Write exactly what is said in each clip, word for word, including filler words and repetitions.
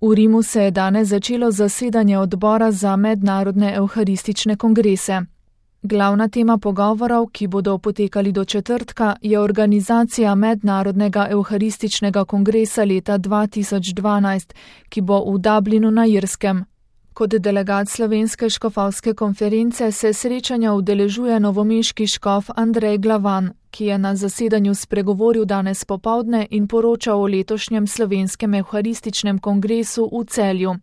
V Rimu se je danes začelo zasedanje odbora za mednarodne evharistične kongrese. Glavna tema pogovorov, ki bodo potekali do četrtka, je organizacija mednarodnega evharističnega kongresa leta dva tisoč dvanajst, ki bo v Dublinu na Irskem. Kot delegat Slovenske škofovske konference se srečanja udeležuje novomeški škof Andrej Glavan, ki je na zasedanju spregovoril danes popoldne in poročal o letošnjem slovenskem evharističnem kongresu v Celju.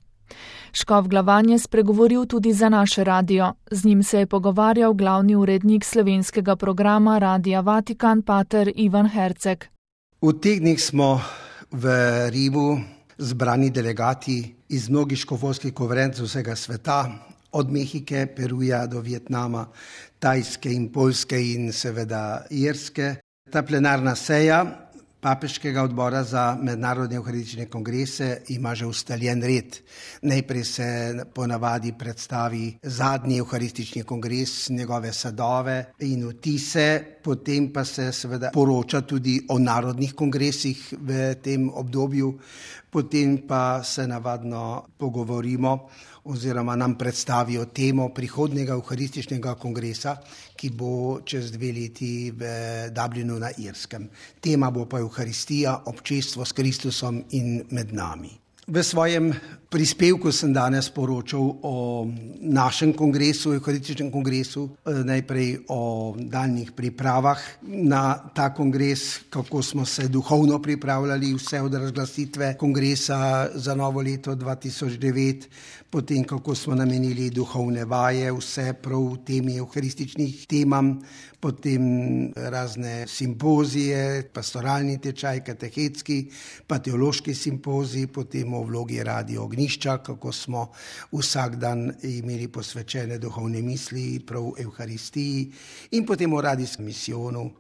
Škof Glavan je spregovoril tudi za naš radio. Z njim se je pogovarjal glavni urednik slovenskega programa Radia Vatikan, pater Ivan Herceg. V teh dneh smo v Rimu zbrani delegati iz mnogih škofovskih konferenc vsega sveta, od Mehike, Peruja do Vietnama, Tajske in Poljske in seveda Irske. Ta plenarna seja Papeškega odbora za mednarodne evharistične kongrese ima že ustaljen red. Najprej se ponavadi predstavi zadnji evharistični kongres, njegove sadove in vtise, potem pa se seveda poroča tudi o narodnih kongresih v tem obdobju, potem pa se navadno pogovorimo oziroma nam predstavijo temo prihodnjega evharističnega kongresa, ki bo čez dve leti v Dublinu na Irskem. Tema bo pa evharistija, občestvo s Kristusom in med nami. V svojem prispevku sem danes poročal o našem kongresu, evharističnem kongresu, najprej o daljnih pripravah na ta kongres, kako smo se duhovno pripravljali vse od razglasitve kongresa za novo leto dva tisoč devet, potem kako smo namenili duhovne vaje, vse prav v temi evharističnih temam, potem razne simpozije, pastoralni tečaj, katehetski, pa teološki simpozij, potem o vlogi Radio Ognjišča, kako smo vsak dan imeli posvečene duhovne misli prav evharistiji, in potem o radijskem misijonu,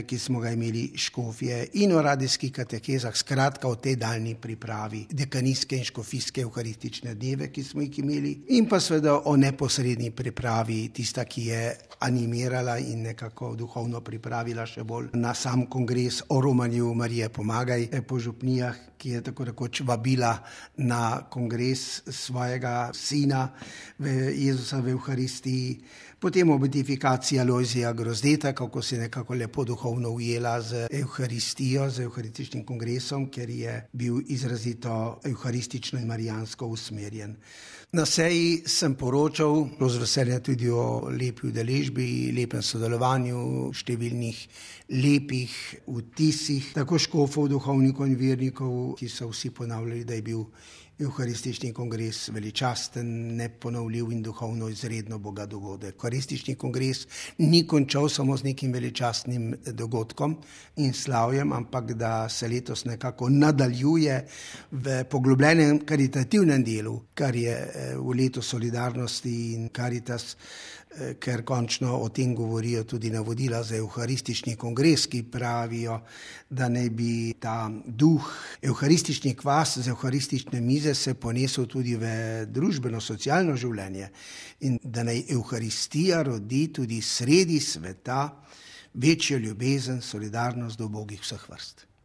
ki smo ga imeli škofje, in o radijskih katehezah, skratka o tej daljni pripravi dekanijske in škofijske evharistične dneve, ki smo jih imeli, in pa seveda o neposredni pripravi, tista, ki je animirala in nekako duhovno pripravila še bolj na sam kongres, o romanju Marije Pomagaj po župnijah, ki je tako rekoč vabila na kongres svojega sina v Jezusa v evharistiji, potem o beatifikaciji Alojzija Grozdeta, kako se je nekako lepo duhovno ujela z evharistijo, z evharističnim kongresom, ker je bil izrazito evharistično in marijansko usmerjen. Na seji sem poročal z veseljem tudi o lepi udeležbi, lepem sodelovanju, številnih lepih vtisih, tako škofov, duhovnikov in vernikov, ki so vsi ponavljali, da je bil evharistični kongres veličasten, neponovljiv in duhovno izredno bogat dogodek. Evharistični kongres ni končal samo z nekim veličastnim dogodkom in slavjem, ampak da se letos nekako nadaljuje v poglobljenem karitativnem delu, kar je v letu solidarnosti in Karitas, ker končno o tem govorijo tudi navodila za evharistični kongres, ki pravijo, da naj bi ta duh, evharistični kvas z evharistične mize se ponesel tudi v družbeno-socialno življenje in da naj evharistija rodi tudi sredi sveta večjo ljubezen, solidarnost do ubogih vseh vrst.